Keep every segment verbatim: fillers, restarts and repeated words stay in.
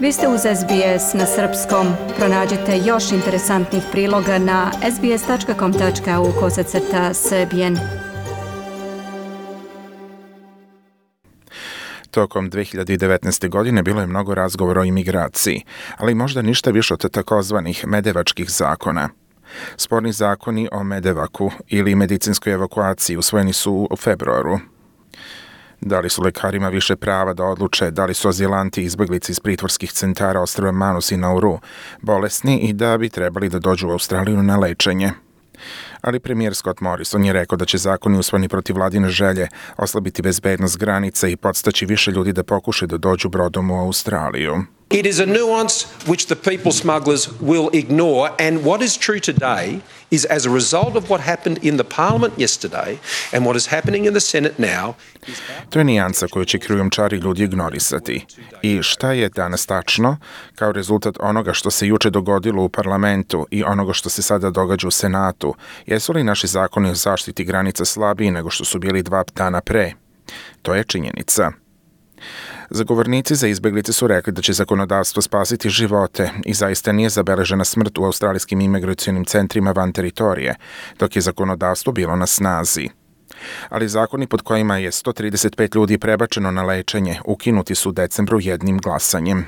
Vi ste uz S B S na srpskom. Pronađite još interesantnih priloga na sbs.com.au kosacrta srbijen. Tokom dve hiljade devetnaeste. godine bilo je mnogo razgovora o imigraciji, ali možda ništa više od takozvanih medevačkih zakona. Sporni zakoni o medevaku ili medicinskoj evakuaciji usvojeni su u februaru. Da li su lekarima više prava da odluče da li su azilanti i izbeglice iz pritvorskih centara ostrva Manus i Nauru bolesni i da bi trebali da dođu u Australiju na lečenje. Ali premijer Scott Morrison je rekao da će zakoni usvojeni protiv vladine želje oslabiti bezbednost granica i podstaći više ljudi da pokušaju da dođu brodom u Australiju. It is a nuance which the people smugglers will ignore, and what is true today is as a result of what happened in the parliament yesterday and what is happening in the Senate now. To je nijansa koju će krijumčari ljudi ignorisati. I šta je danas tačno, kao rezultat onoga što se juče dogodilo u parlamentu i onoga što se sada događa u Senatu, jesu li naši zakoni o zaštiti granica slabiji nego što su bili dva dana pre? To je činjenica. Zagovornici za izbeglice su rekli da će zakonodavstvo spasiti živote i zaista nije zabeležena smrt u australijskim imigracionim centrima van teritorije, dok je zakonodavstvo bilo na snazi. Ali zakoni pod kojima je sto trideset pet ljudi prebačeno na lečenje ukinuti su u decembru jednim glasanjem.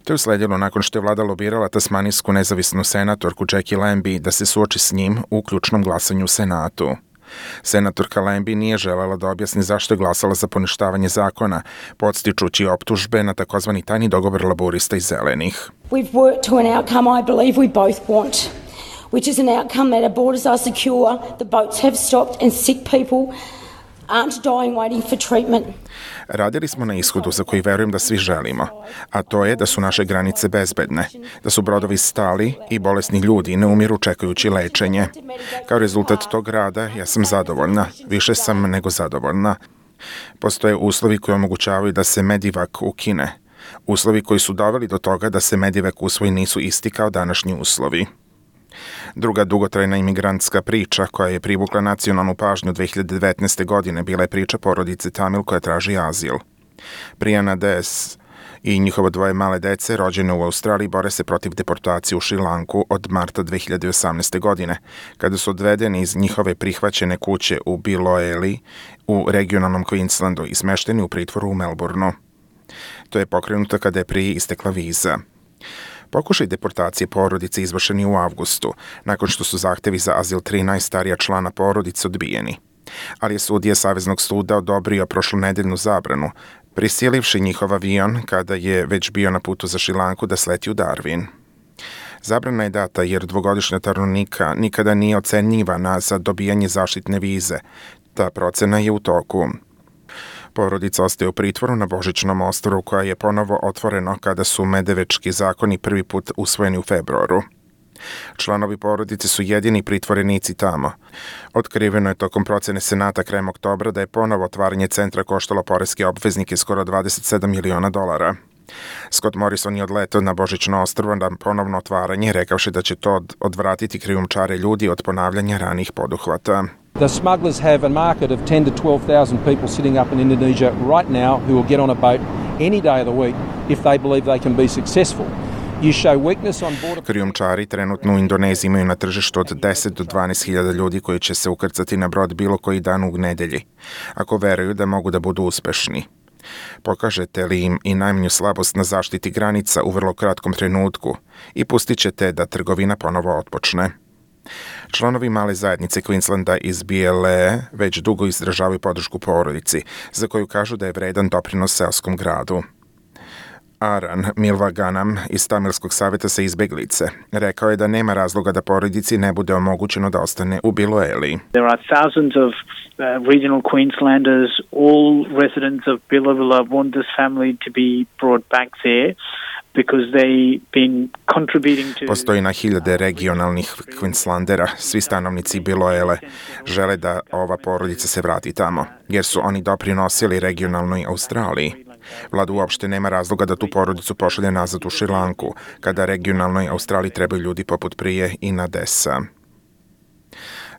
To je usledilo nakon što je vlada lobirala tasmanijsku nezavisnu senatorku Jackie Lambie da se suoči s njim u ključnom glasanju u Senatu. Senatorka Lambie nije želela da objasni zašto je glasala za poništavanje zakona, podstičući optužbe na takozvani tajni dogovor laborista i zelenih. We've worked to an outcome I believe we both want, which is an outcome that our borders are secure, the boats have stopped and sick people aren't dying waiting for treatment. Radili smo na ishodu za koji verujem da svi želimo, a to je da su naše granice bezbedne, da su brodovi stali i bolesni ljudi ne umiru čekajući lečenje. Kao rezultat tog rada ja sam zadovoljna, više sam nego zadovoljna. Postoje uslovi koji omogućavaju da se Medivak ukine. Uslovi koji su doveli do toga da se Medivak usvoji nisu isti kao današnji uslovi. Druga dugotrajna imigrantska priča koja je privukla nacionalnu pažnju dve hiljade devetnaeste. godine bila je priča porodice Tamil koja traži azil. Prijana Des i njihovo dvoje male dece rođene u Australiji bore se protiv deportacije u Šrilanku od marta dve hiljade osamnaeste. godine, kada su odvedeni iz njihove prihvaćene kuće u Biloeli u regionalnom Queenslandu i smešteni u pritvoru u Melbourneu. To je pokrenuto kada je prije istekla viza. Pokušaj deportacije porodice izvršeni u avgustu, nakon što su zahtevi za azil tri najstarija člana porodice odbijeni. Ali je sudija Saveznog suda odobrio prošlonedeljnu zabranu, prisilivši njihov avion kada je već bio na putu za Šrilanku da sleti u Darwin. Zabrana je data jer dvogodišnja Tarunika nikada nije ocenjivana za dobijanje zaštitne vize. Ta procena je u toku. Porodica ostaje u pritvoru na Božićnom ostrvu koja je ponovo otvoreno kada su medevečki zakoni prvi put usvojeni u februaru. Članovi porodice su jedini pritvorenici tamo. Otkriveno je tokom procene Senata krajem oktobra da je ponovo otvaranje centra koštalo poreske obveznike skoro dvadeset sedam miliona dolara. Scott Morrison je odletao na Božićno ostrvo na ponovno otvaranje, rekavši da će to odvratiti krijumčare ljudi od ponavljanja ranih poduhvata. The smugglers have a market of ten to twelve thousand people sitting up in Indonesia right now who will get on a boat any day of the week if they believe they can be successful. You show weakness on board. Krijumčari trenutno u Indoneziji imaju na tržištu od deset do dvanaest hiljada ljudi koji će se ukrcati na brod bilo koji dan u nedelji, ako veruju da mogu da budu uspešni. Pokažete li im i najmanju slabost na zaštiti granica u vrlo kratkom trenutku i pustit ćete da trgovina ponovo otpočne. Članovi male zajednice Queenslanda iz B L E već dugo izražavaju podršku porodici, za koju kažu da je vredan doprinos seoskom gradu. Aran Milvaganam iz Tamilskog savjeta za izbeglice rekao je da nema razloga da porodici ne bude omogućeno da ostane u Biloeli. There are thousands of uh, regional Queenslanders, all residents of Billabilla want this family to be brought back there. Postoji na hiljade regionalnih Queenslandera, svi stanovnici Biloele žele da ova porodica se vrati tamo, jer su oni doprinosili regionalnoj Australiji. Vlada uopšte nema razloga da tu porodicu pošalje nazad u Šrilanku, kada regionalnoj Australiji trebaju ljudi poput prije i na Desa.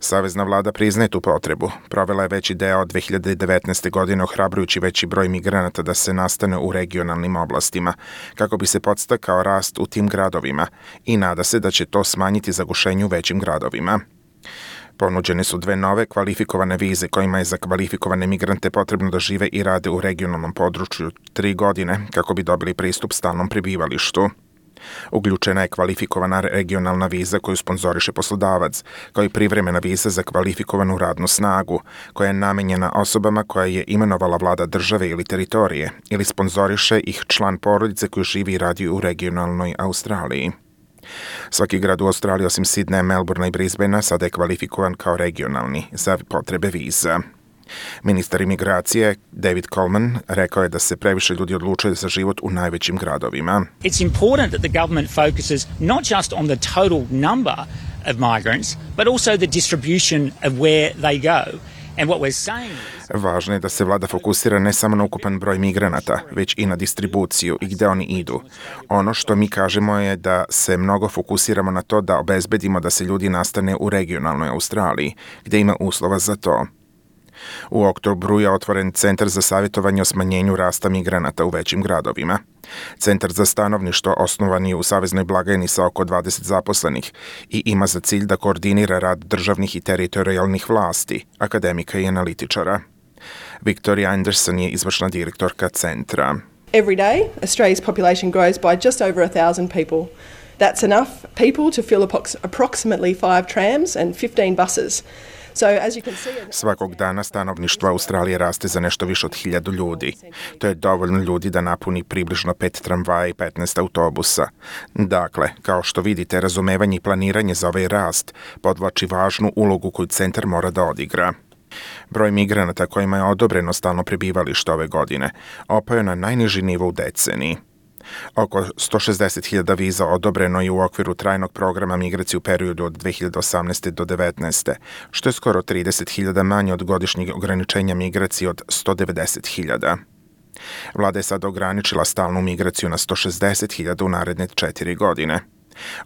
Savezna vlada priznaje tu potrebu. Provela je veći deo od dve hiljade devetnaeste. godine ohrabrujući veći broj migranata da se nastane u regionalnim oblastima, kako bi se podstakao rast u tim gradovima i nada se da će to smanjiti zagušenje u većim gradovima. Ponuđene su dve nove kvalifikovane vize kojima je za kvalifikovane migrante potrebno da žive i rade u regionalnom području tri godine kako bi dobili pristup stalnom prebivalištu. Uključena je kvalifikovana regionalna viza koju sponzoriše poslodavac, kao i privremena viza za kvalifikovanu radnu snagu, koja je namenjena osobama koja je imenovala vlada države ili teritorije, ili sponzoriše ih član porodice koji živi i radi u regionalnoj Australiji. Svaki grad u Australiji osim Sidneja, Melbournea i Brisbanea sada je kvalifikovan kao regionalni za potrebe viza. Ministar imigracije David Coleman rekao je da se previše ljudi odlučuje za život u najvećim gradovima. It's important that the government focuses not just on the total number of migrants, but also the distribution of where they go. And what we're saying is... Važno je da se vlada fokusira ne samo na ukupan broj migranata, već i na distribuciju i gde oni idu. Ono što mi kažemo je da se mnogo fokusiramo na to da obezbedimo da se ljudi nastane u regionalnoj Australiji, gde ima uslova za to. U oktobru je otvoren Centar za savjetovanje o smanjenju rasta migranata u većim gradovima. Centar za stanovništvo osnovan je u saveznoj blagajni sa oko dvadeset zaposlenih i ima za cilj da koordinira rad državnih i teritorijalnih vlasti, akademika i analitičara. Victoria Anderson je izvršna direktorka centra. Every day, Australia's population grows by just over a thousand people. That's enough people to fill approximately five trams and fifteen buses. So, as you can see... Svakog dana stanovništvo Australije raste za nešto više od hiljadu ljudi. To je dovoljno ljudi da napuni približno pet tramvaja i petnaest autobusa. Dakle, kao što vidite, razumevanje i planiranje za ovaj rast podvlači važnu ulogu koju centar mora da odigra. Broj migranata kojima je odobreno stalno prebivalište ove godine opao je na najniži nivo u deceniji. Oko sto šezdeset hiljada viza odobreno je u okviru trajnog programa migracije u periodu od dve hiljade osamnaeste. do devetnaeste. što je skoro trideset hiljada manje od godišnjeg ograničenja migracije od sto devedeset hiljada. Vlada je sad ograničila stalnu migraciju na sto šezdeset hiljada u naredne četiri godine.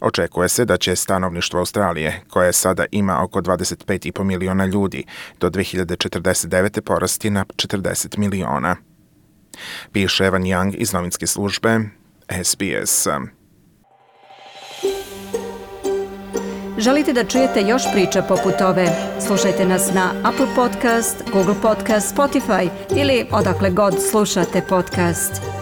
Očekuje se da će stanovništvo Australije, koje sada ima oko dvadeset pet i po miliona ljudi, do dve hiljade četrdeset devete. porasti na četrdeset miliona. Piše Evan Young iz novinske službe S B S. Želite da čujete još priča poput ove? Slušajte nas na Apple Podcast, Google Podcast, Spotify ili odakle god slušate podcast.